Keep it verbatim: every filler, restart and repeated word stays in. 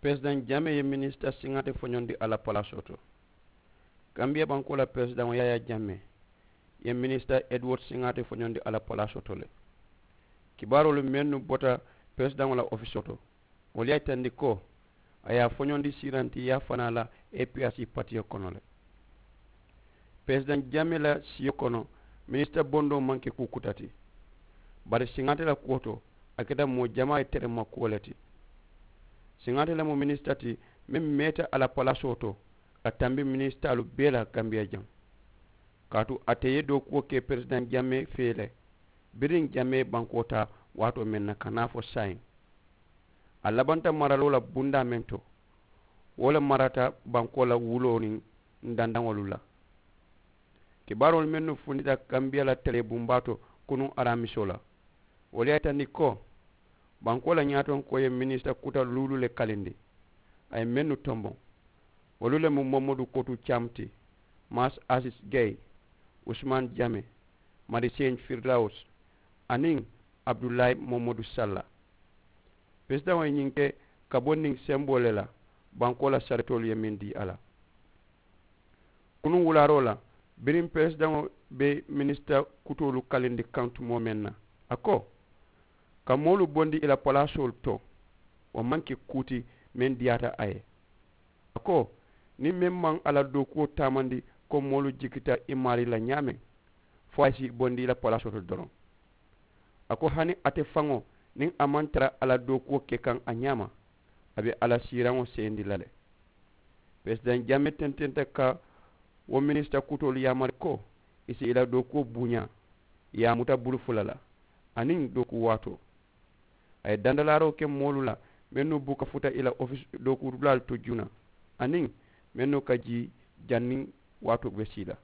Peresidaŋ jamee ye minisita siŋaate foñondi a la palaasoo to. Kambiya bankoo la peresidaŋo yaayaa jamee ye minisita eduward siŋaate foñondi a la palaasoo to le. Kibaaroolu mennu bota peresidaŋo la ofisoo to, wolu ye a yitandi ko a ye a foñondi siirantiyaa fanaa la. Epiyaasi patiyo kono le. Peresidaŋ jamee la siyo kono, minisita bondoo maŋ ke kuu kuta ti. Bari siŋaate la kuwo to, a keta moo jamaa ye terema kuwo le ti. Siŋaate le mu minisita ti meŋ meeta a la palaasoo to ka tambi minisitaalu bee la kambiya jaŋ. Kaatu ate ye dookuwo ke peresidaŋ jamee fee le. Biriŋ jamee bankoo taa waatoo meŋ na ka naa fo saayiŋ, a labanta maraloo la bundaa meŋ to, wo le marata bankoo la wuloo niŋ dandaŋolu la. Kibaaroolu mennu fundita kambiya la telee bumbaa to kunuŋ araamisoo la, wolu ye a yitandi ko bankoo la ñaatonkoo ye minisita kuta luulu le kalindi. A ye mennu tomboŋ, wolu le mu momodu kotu cam ti, maas asis gey, usumaan jame, madiseeñ firilawus, aniŋ abudulaayi momodu salla. Peresidaŋo ye ñiŋ ke ka bo niŋ semboo le la, bankoo la saritoolu ye meŋ dii a la. Kunuŋ wulaaroo la, biriŋ peresidaŋo be minisita kutoolu kalindi kaŋ tumoo meŋ na, a ko, ka moolu bondi i la palaasoolu to, wo maŋ ke kuu ti meŋ diyaata a ye. A ko, niŋ meŋ maŋ a la dookuwo taamandi ko moolu jikita i maarii la ñaameŋ, fo a ye si bondi i la palaasoo to doroŋ. A ko hani ate faŋo, niŋ a maŋ tara a la dookuwo ke kaŋ a ñaama, a be a la siiraŋo seyindi la le. Peresidaŋ jamee tententa ka wo minisita kutoolu yaamari ko i si i la dookuwo buuñaa, i ye a muta bulu fula la, aniŋ dookuwo waatoo. A ye dandalaaroo ke moolu la mennu buka futa i la ofisi dookuudulaalu to juuna, aniŋ mennu ka jii janniŋ waatoo be sii la.